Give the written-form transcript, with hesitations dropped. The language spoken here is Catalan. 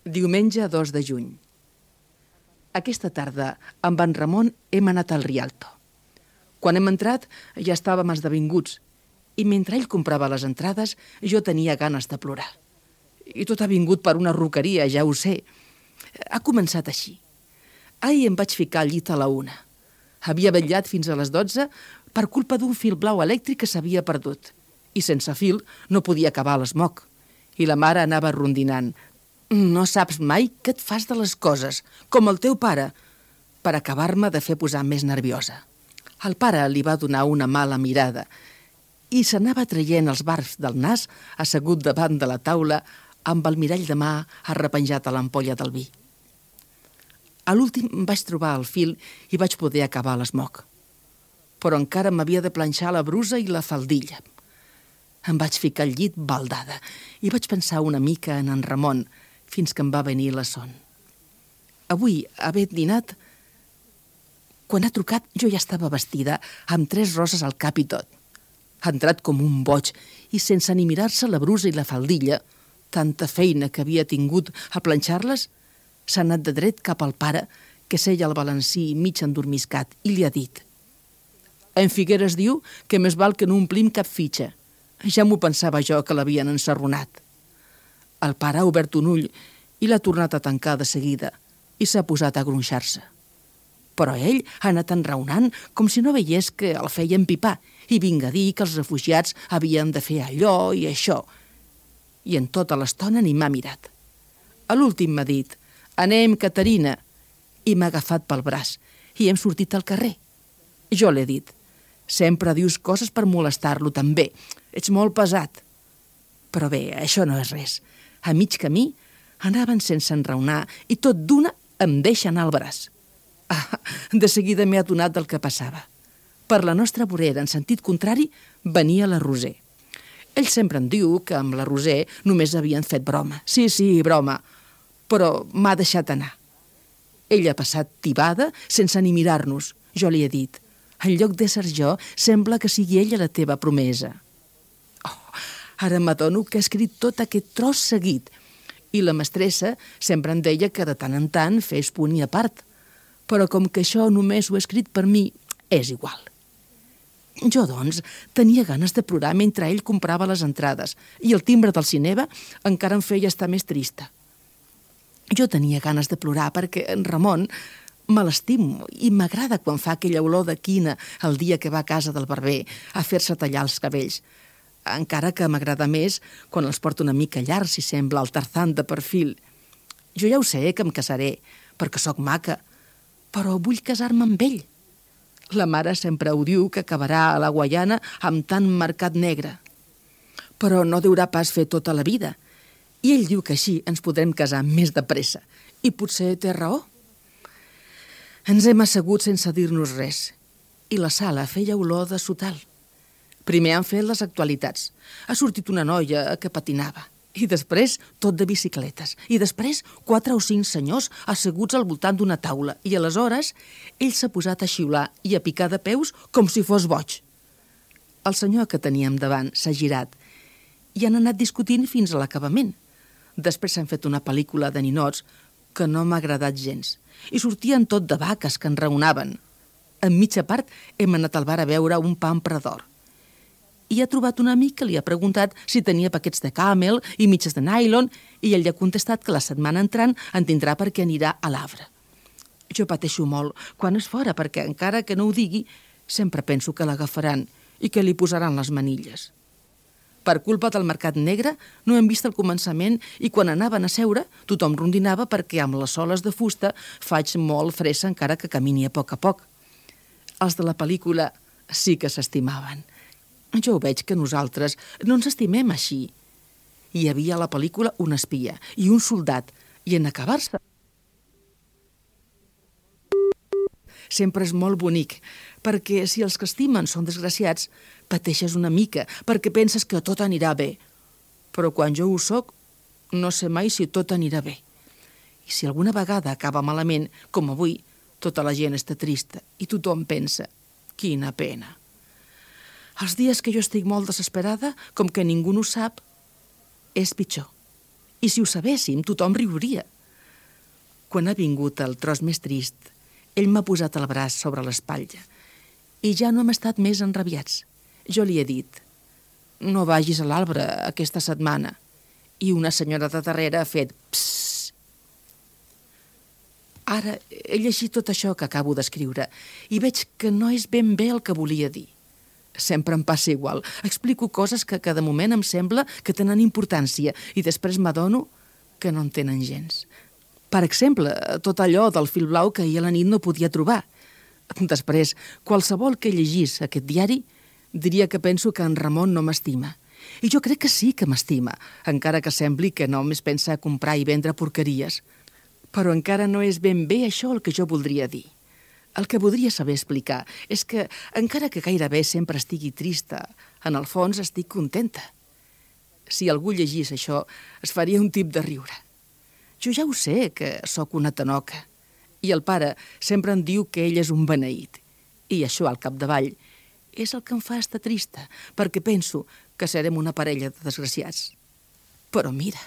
Diumenge 2 de juny. Aquesta tarda, amb en Ramon, hem anat al Rialto. Quan hem entrat, ja estàvem esdevinguts, i mentre ell comprava les entrades, jo tenia ganes de plorar. I tot ha vingut per una ruqueria, ja ho sé. Ha començat així. Ahir em vaig ficar al llit a la 1. Havia vetllat fins a les 12 per culpa d'un fil blau elèctric que s'havia perdut. I sense fil no podia acabar l'esmoc. I la mare anava rondinant. No saps mai què et fas de les coses, com el teu pare, per acabar-me de fer posar més nerviosa. El pare li va donar una mala mirada i s'anava traient els barbs del nas assegut davant de la taula amb el mirall de mà arrepenjat a l'ampolla del vi. A l'últim vaig trobar el fil i vaig poder acabar l'esmoc. Però encara m'havia de planxar la brusa i la faldilla. Em vaig ficar al llit baldada i vaig pensar una mica en Ramon fins que em va venir la son. Avui, havent dinat, quan ha trucat jo ja estava vestida amb 3 roses al cap i tot. Ha entrat com un boig i sense ni mirar-se la brusa i la faldilla, tanta feina que havia tingut a planxar-les, s'ha anat de dret cap al pare, que seia al balancí mig endormiscat, i li ha dit: «En Figueres diu que més val que no omplim cap fitxa. Ja m'ho pensava jo que l'havien ensarronat». El pare ha obert un ull i l'ha tornat a tancar de seguida i s'ha posat a gronxar-se. Però ell ha anat enraonant com si no veiés que el feien pipar i vinga a dir que els refugiats havien de fer allò i això. I en tota l'estona ni m'ha mirat. A l'últim m'ha dit: «Anem, Caterina», i m'ha agafat pel braç i hem sortit al carrer. Jo l'he dit: «Sempre dius coses per molestar-lo també. Ets molt pesat». Però bé, això no és res. A mig camí anaven sense enraonar i tot d'una em deixa anar al braç. De seguida m'he adonat del que passava. Per la nostra vorera, en sentit contrari, venia la Roser. Ell sempre em diu que amb la Roser només havien fet broma. Sí, broma, però m'ha deixat anar. Ella ha passat tibada sense ni mirar-nos. Jo li he dit: «En lloc d'ésser jo, sembla que sigui ella la teva promesa». Ara m'adono que he escrit tot aquest tros seguit i la mestressa sempre em deia que de tant en tant fes punt i a part. Però com que això només ho he escrit per mi, és igual. Jo, doncs, tenia ganes de plorar mentre ell comprava les entrades i el timbre del cinema encara em feia estar més trista. Jo tenia ganes de plorar perquè en Ramon me l'estimo i m'agrada quan fa aquella olor de quina el dia que va a casa del barber a fer-se tallar els cabells. Encara que m'agrada més quan els porto una mica llargs i sembla el Tarzan de perfil. Jo ja ho sé que em casaré, perquè sóc maca, però vull casar-me amb ell. La mare sempre ho diu que acabarà a la Guaiana amb tant mercat negre. Però no deurà pas fer tota la vida. I ell diu que així ens podrem casar més de pressa. I potser té raó. Ens hem assegut sense dir-nos res. I la sala feia olor de sotal. Primer han fet les actualitats. Ha sortit una noia que patinava. I després tot de bicicletes. I després 4 o 5 senyors asseguts al voltant d'una taula. I aleshores ell s'ha posat a xiular i a picar de peus com si fos boig. El senyor que teníem davant s'ha girat i han anat discutint fins a l'acabament. Després s'han fet una pel·lícula de ninots que no m'ha agradat gens. I sortien tot de vaques que enraonaven. En mitja part hem anat al bar a veure un pa amb predor. I ha trobat un amic que li ha preguntat si tenia paquets de Camel i mitges de nylon i ell li ha contestat que la setmana entrant en tindrà perquè anirà a l'Arbre. Jo pateixo molt quan és fora perquè, encara que no ho digui, sempre penso que l'agafaran i que li posaran les manilles. Per culpa del mercat negre no hem vist el començament i quan anaven a seure tothom rondinava perquè amb les soles de fusta faig molt fressa encara que camini a poc. Els de la pel·lícula sí que s'estimaven. Jo ho veig que nosaltres no ens estimem així. Hi havia a la pel·lícula un espia i un soldat, i en acabar-se sempre és molt bonic, perquè si els que estimen són desgraciats, pateixes una mica, perquè penses que tot anirà bé. Però quan jo ho soc, no sé mai si tot anirà bé. I si alguna vegada acaba malament, com avui, tota la gent està trista i tothom pensa: quina pena. Els dies que jo estic molt desesperada, com que ningú no ho sap, és pitjor. I si ho sabéssim, tothom riuria. Quan ha vingut el tros més trist, ell m'ha posat el braç sobre l'espatlla i ja no hem estat més enrabiats. Jo li he dit: no vagis a l'arbre aquesta setmana. I una senyora de darrere ha fet psss. Ara he llegit tot això que acabo d'escriure i veig que no és ben bé el que volia dir. Sempre em passa igual. Explico coses que de moment em sembla que tenen importància i després m'adono que no en tenen gens. Per exemple, tot allò del fil blau que ahir a la nit no podia trobar. Després, qualsevol que llegís aquest diari diria que penso que en Ramon no m'estima. I jo crec que sí que m'estima, encara que sembli que només pensa a comprar i vendre porqueries. Però encara no és ben bé això el que jo voldria dir. El que voldria saber explicar és que, encara que gairebé sempre estigui trista, en el fons estic contenta. Si algú llegís això, es faria un tip de riure. Jo ja ho sé, que sóc una tanoca. I el pare sempre em diu que ell és un beneït. I això, al capdavall, és el que em fa estar trista, perquè penso que serem una parella de desgraciats. Però mira...